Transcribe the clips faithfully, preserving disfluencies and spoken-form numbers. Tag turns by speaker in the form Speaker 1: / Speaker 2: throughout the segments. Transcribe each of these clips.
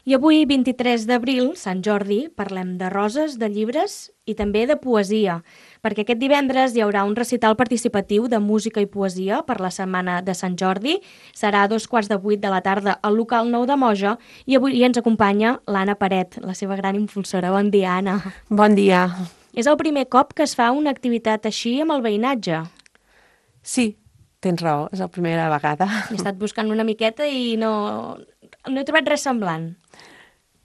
Speaker 1: I avui, vint-i-tres d'abril, Sant Jordi, parlem de roses, de llibres i també de poesia, perquè aquest divendres hi haurà un recital participatiu de música i poesia per la setmana de Sant Jordi. Serà a dos quarts de vuit de la tarda al local nou de Moja i avui ens acompanya l'Anna Paret, la seva gran impulsora. Bon dia, Anna.
Speaker 2: Bon dia.
Speaker 1: És el primer cop que es fa una activitat així amb el veïnatge.
Speaker 2: Sí, tens raó, és la primera vegada.
Speaker 1: He estat buscant una miqueta i no, no he trobat res semblant.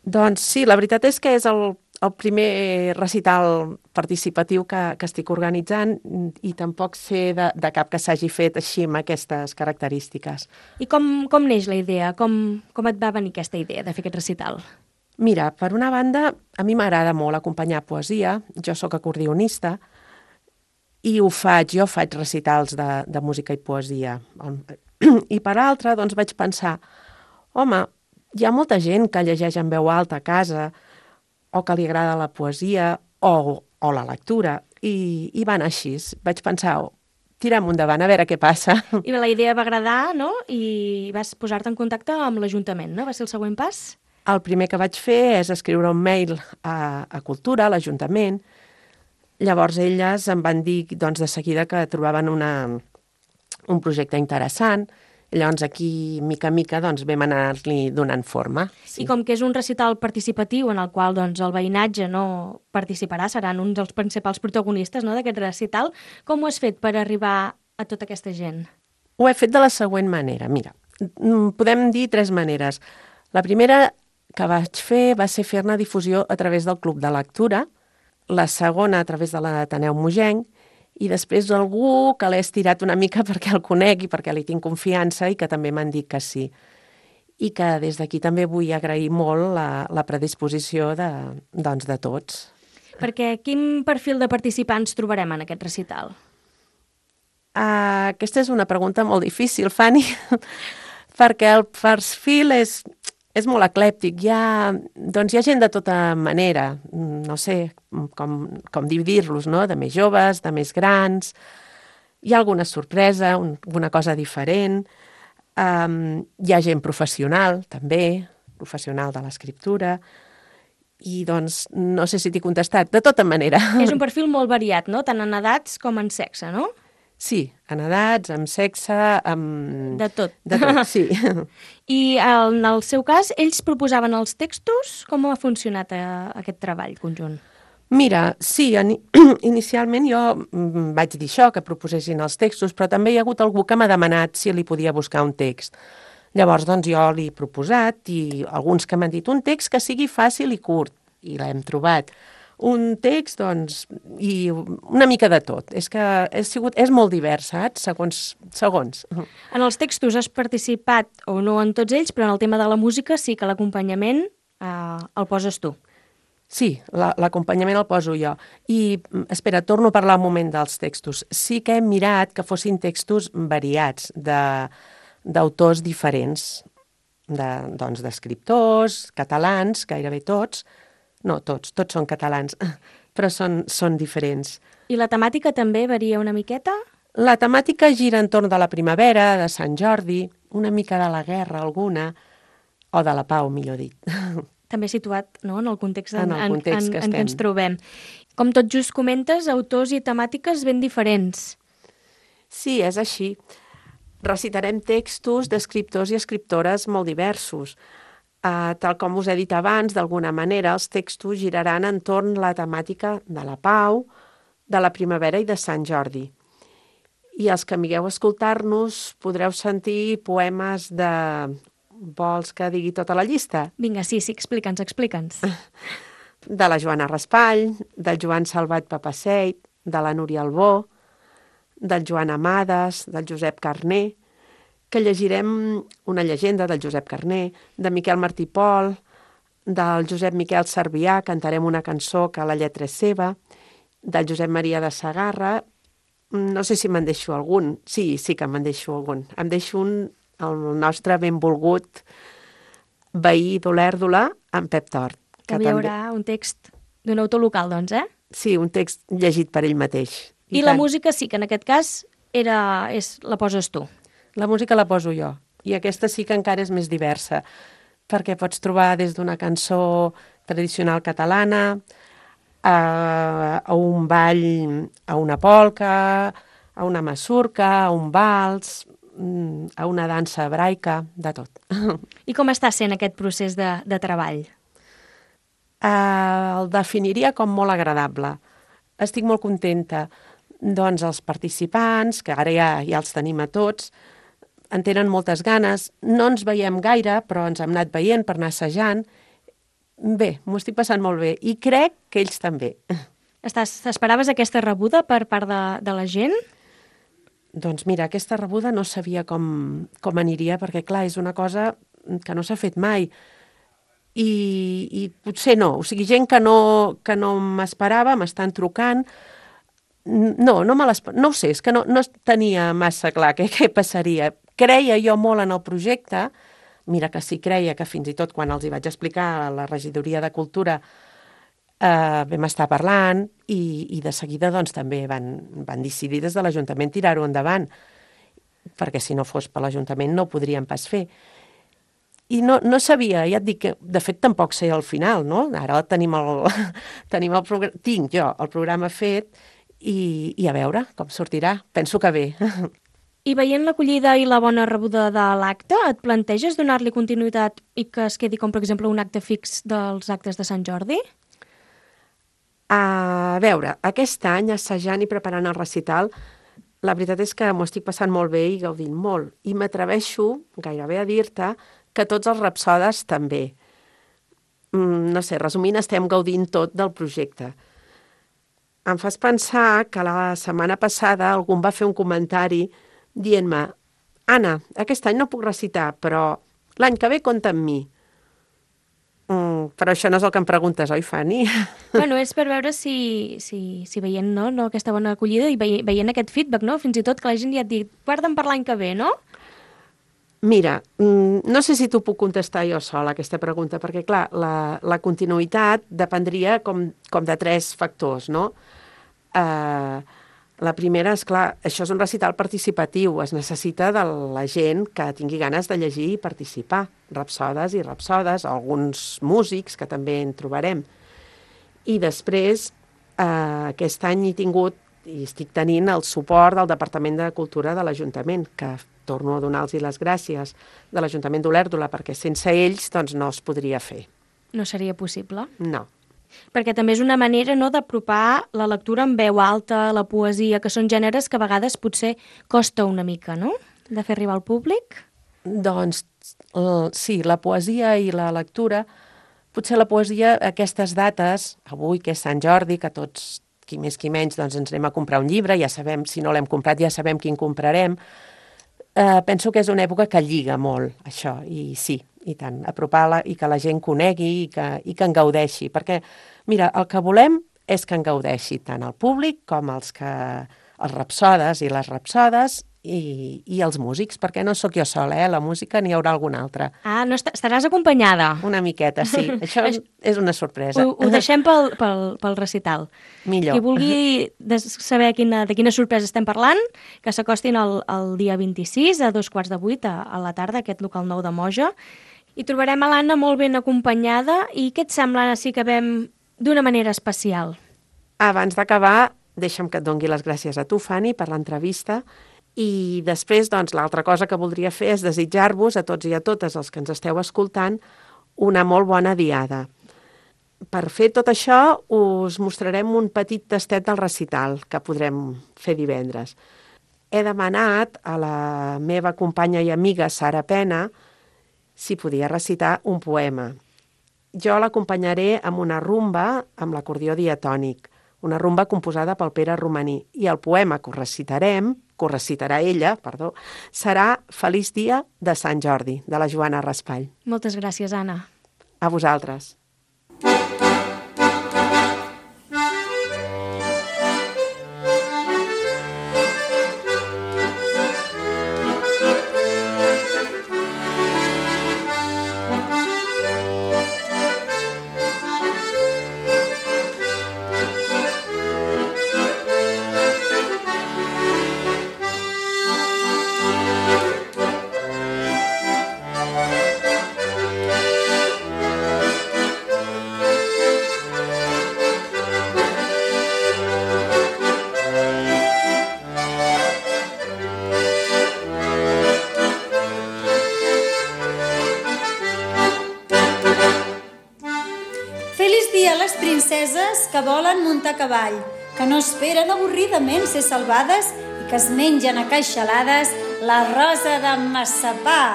Speaker 2: Doncs sí, la veritat és que és el, el primer recital participatiu que, que estic organitzant i tampoc sé de, de cap que s'hagi fet així amb aquestes característiques.
Speaker 1: I com, com neix la idea? Com, com et va venir aquesta idea de fer aquest recital?
Speaker 2: Mira, per una banda, a mi m'agrada molt acompanyar poesia, jo sóc acordionista i ho faig, jo faig recitals de, de música i poesia. I per altra, doncs vaig pensar, home, hi ha molta gent que llegeix en veu alta a casa o que li agrada la poesia o, o la lectura i, i van així. Vaig pensar, oh, tirem endavant a veure què passa.
Speaker 1: I la idea va agradar, no? I vas posar-te en contacte amb l'Ajuntament, no? Va ser el següent pas?
Speaker 2: El primer que vaig fer és escriure un mail a, a Cultura, a l'Ajuntament. Llavors elles em van dir doncs, de seguida que trobaven una, un projecte interessant. Llavors aquí, mica en mica, doncs, vam anar-li donant forma. Sí.
Speaker 1: I com que és un recital participatiu en el qual doncs, el veïnatge no participarà, seran uns dels principals protagonistes, no, d'aquest recital, com ho has fet per arribar a tota aquesta gent?
Speaker 2: Ho he fet de la següent manera. Mira, podem dir tres maneres. La primera que vaig fer va ser fer-ne difusió a través del Club de Lectura, la segona a través de l'Ateneu Mogenc, i després algú que l'he estirat una mica perquè el conec i perquè li tinc confiança i que també m'han dit que sí. I que des d'aquí també vull agrair molt la, la predisposició de, doncs, de tots.
Speaker 1: Perquè quin perfil de participants trobarem en aquest recital?
Speaker 2: Uh, aquesta és una pregunta molt difícil, Fanny, perquè el perfil és... És molt eclèptic, hi ha, doncs hi ha gent de tota manera, no sé com, com dividir-los, no? De més joves, de més grans, hi ha alguna sorpresa, un, alguna cosa diferent, um, hi ha gent professional també, professional de l'escriptura, i doncs no sé si t'he contestat, de tota manera.
Speaker 1: És un perfil molt variat, no? Tant en edats com en sexe, no?
Speaker 2: Sí, en edats, amb sexe, amb...
Speaker 1: De tot.
Speaker 2: De tot, sí.
Speaker 1: I en el seu cas, ells proposaven els textos? Com ha funcionat eh, aquest treball conjunt?
Speaker 2: Mira, sí, inicialment jo vaig dir això, que proposessin els textos, però també hi ha hagut algú que m'ha demanat si li podia buscar un text. Llavors, doncs, jo l'he proposat i alguns que m'han dit un text que sigui fàcil i curt, i l'hem trobat. Un text, doncs, i una mica de tot. És que és, sigut, és molt divers, saps? Segons, segons.
Speaker 1: En els textos has participat, o no en tots ells, però en el tema de la música sí que l'acompanyament eh, el poses tu.
Speaker 2: Sí, l'acompanyament el poso jo. I, espera, torno a parlar un moment dels textos. Sí que hem mirat que fossin textos variats, de, d'autors diferents, de, doncs, d'escriptors, catalans, gairebé tots. No, tots, tots són catalans, però són, són diferents.
Speaker 1: I la temàtica també varia una miqueta?
Speaker 2: La temàtica gira entorn de la primavera, de Sant Jordi, una mica de la guerra alguna, o de la pau, millor dit.
Speaker 1: També situat, no?, en el context en,
Speaker 2: en, el context
Speaker 1: en,
Speaker 2: que
Speaker 1: en, en què ens trobem. Com tot just comentes, autors i temàtiques ben diferents.
Speaker 2: Sí, és així. Recitarem textos d'escriptors i escriptores molt diversos. Uh, tal com us he dit abans, d'alguna manera, els textos giraran entorn la temàtica de la pau, de la primavera i de Sant Jordi. I els que amigueu a escoltar-nos podreu sentir poemes de... Vols que digui tota la llista?
Speaker 1: Vinga, sí, sí, explica'ns, explica'ns.
Speaker 2: De la Joana Raspall, del Joan Salvat Papaseit, de la Núria Albó, del Joan Amades, del Josep Carner, que llegirem una llegenda del Josep Carner, de Miquel Martí Pol, del Josep Miquel Servià, cantarem una cançó que la lletra és seva, del Josep Maria de Sagarra, no sé si me'n deixo algun, sí, sí que me'n deixo algun, em deixo un, el nostre benvolgut veí d'Olèrdola, en Pep Tort.
Speaker 1: Que hi haurà també... un text d'un autor local, doncs, eh?
Speaker 2: Sí, un text llegit per ell mateix.
Speaker 1: I, I la música sí, que en aquest cas era, és, la poses tu.
Speaker 2: La música la poso jo, i aquesta sí que encara és més diversa, perquè pots trobar des d'una cançó tradicional catalana a, a un ball, a una polca, a una masurca, a un vals, a una dansa hebraica, de tot.
Speaker 1: I com està sent aquest procés de, de treball?
Speaker 2: Uh, el definiria com molt agradable. Estic molt contenta. Doncs els participants, que ara ja, ja els tenim a tots, en tenen moltes ganes. No ens veiem gaire, però ens hem anat veient per anar assajant. Bé, m'ho estic passant molt bé. I crec que ells també.
Speaker 1: Estàs, esperaves aquesta rebuda per part de, de la gent?
Speaker 2: Doncs mira, aquesta rebuda no sabia com, com aniria, perquè clar, és una cosa que no s'ha fet mai. I, i potser no. O sigui, gent que no, que no m'esperava, m'estan trucant. No, no me l'esperava. No ho sé, és que no, no tenia massa clar què, què passaria. Creia jo molt en el projecte. Mira que sí creia que fins i tot quan els hi vaig explicar a la regidoria de Cultura eh, vam estar parlant i, i de seguida doncs, també van, van decidir des de l'Ajuntament tirar-ho endavant, perquè si no fos per l'Ajuntament no ho podríem pas fer. I no, no sabia, ja et dic que de fet tampoc sé al final, no? Ara tenim el, tenim el programa, tinc jo el programa fet i, i a veure com sortirà. Penso que bé.
Speaker 1: I veient l'acollida i la bona rebuda de l'acte, et planteges donar-li continuïtat i que es quedi com, per exemple, un acte fix dels actes de Sant Jordi?
Speaker 2: A veure, aquest any, assajant i preparant el recital, la veritat és que m'ho estic passant molt bé i gaudint molt. I m'atreveixo gairebé a dir-te que tots els rapsodes també. Mm, no sé, resumint, estem gaudint tot del projecte. Em fas pensar que la setmana passada algú em va fer un comentari dient-me: Anna, aquest any no puc recitar, però l'any que ve compta amb mi. Mm, però això no és el que em preguntes, oi, Fanny?
Speaker 1: Bueno, és per veure si, si, si veient no, no, aquesta bona acollida i veient, veient aquest feedback, no? Fins i tot que la gent ja et digui, guarda'm per l'any que ve, no?
Speaker 2: Mira, no sé si t'ho puc contestar jo sola, aquesta pregunta, perquè, clar, la, la continuïtat dependria com, com de tres factors, no? Uh, la primera és, clar, això és un recital participatiu, es necessita de la gent que tingui ganes de llegir i participar, rapsodes i rapsodes, alguns músics, que també en trobarem. I després, uh, aquest any he tingut i estic tenint el suport del Departament de Cultura de l'Ajuntament, que torno a donar-los les gràcies, de l'Ajuntament d'Olèrdola, perquè sense ells doncs, no es podria fer.
Speaker 1: No seria possible?
Speaker 2: No.
Speaker 1: Perquè també és una manera, no, d'apropar la lectura en veu alta, la poesia, que són gèneres que a vegades potser costa una mica, no?, de fer arribar al públic.
Speaker 2: Doncs sí, la poesia i la lectura, potser la poesia, aquestes dates, avui que és Sant Jordi, que tots, qui més qui menys, doncs ens anem a comprar un llibre, ja sabem, si no l'hem comprat ja sabem quin comprarem. Uh, penso que és una època que lliga molt, això, i sí, i tant, apropar-la i que la gent conegui i que, i que en gaudeixi, perquè, mira, el que volem és que en gaudeixi tant el públic com els que els rapsodes i les rapsodes i, i els músics, perquè no sóc jo sola, eh? La música n'hi haurà alguna altra.
Speaker 1: Ah, no est estaràs acompanyada?
Speaker 2: Una miqueta, sí. Això és una sorpresa.
Speaker 1: Ho, ho deixem pel, pel, pel recital.
Speaker 2: Millor.
Speaker 1: Qui vulgui saber quina, de quina sorpresa estem parlant, que s'acostin el, el dia vint-i-sis a dos quarts de vuit a, a la tarda, aquest local nou de Moja. I trobarem a l'Anna molt ben acompanyada. I què et sembla, Anna, si acabem d'una manera especial?
Speaker 2: Abans d'acabar, deixa'm que et dongui les gràcies a tu, Fanny, per l'entrevista. I després, doncs, l'altra cosa que voldria fer és desitjar-vos a tots i a totes els que ens esteu escoltant una molt bona diada. Per fer tot això, us mostrarem un petit tastet del recital que podrem fer divendres. He demanat a la meva companya i amiga Sara Pena si podia recitar un poema. Jo l'acompanyaré amb una rumba amb l'acordió diatònic, una rumba composada pel Pere Romaní, i el poema que us recitarem, que us recitarà ella, perdó, serà Feliç dia de Sant Jordi, de la Joana Raspall.
Speaker 1: Moltes gràcies, Anna.
Speaker 2: A vosaltres.
Speaker 3: Feliç dia a les princeses que volen muntar a cavall, que no esperen avorridament ser salvades i que es mengen a queixalades la rosa de massapà.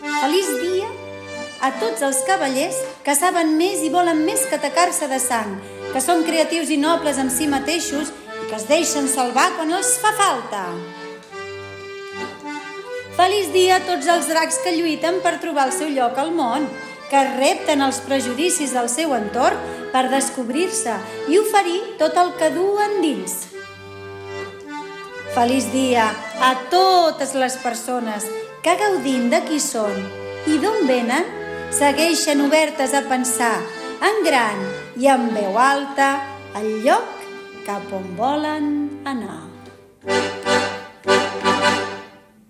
Speaker 3: Feliç dia a tots els cavallers que saben més i volen més que atacar-se de sang, que són creatius i nobles amb si mateixos i que es deixen salvar quan els fa falta. Feliç dia a tots els dracs que lluiten per trobar el seu lloc al món, que repten els prejudicis del seu entorn per descobrir-se i oferir tot el que duen dins. Feliç dia a totes les persones que, gaudint de qui són i d'on venen, segueixen obertes a pensar en gran i en veu alta el lloc cap on volen anar.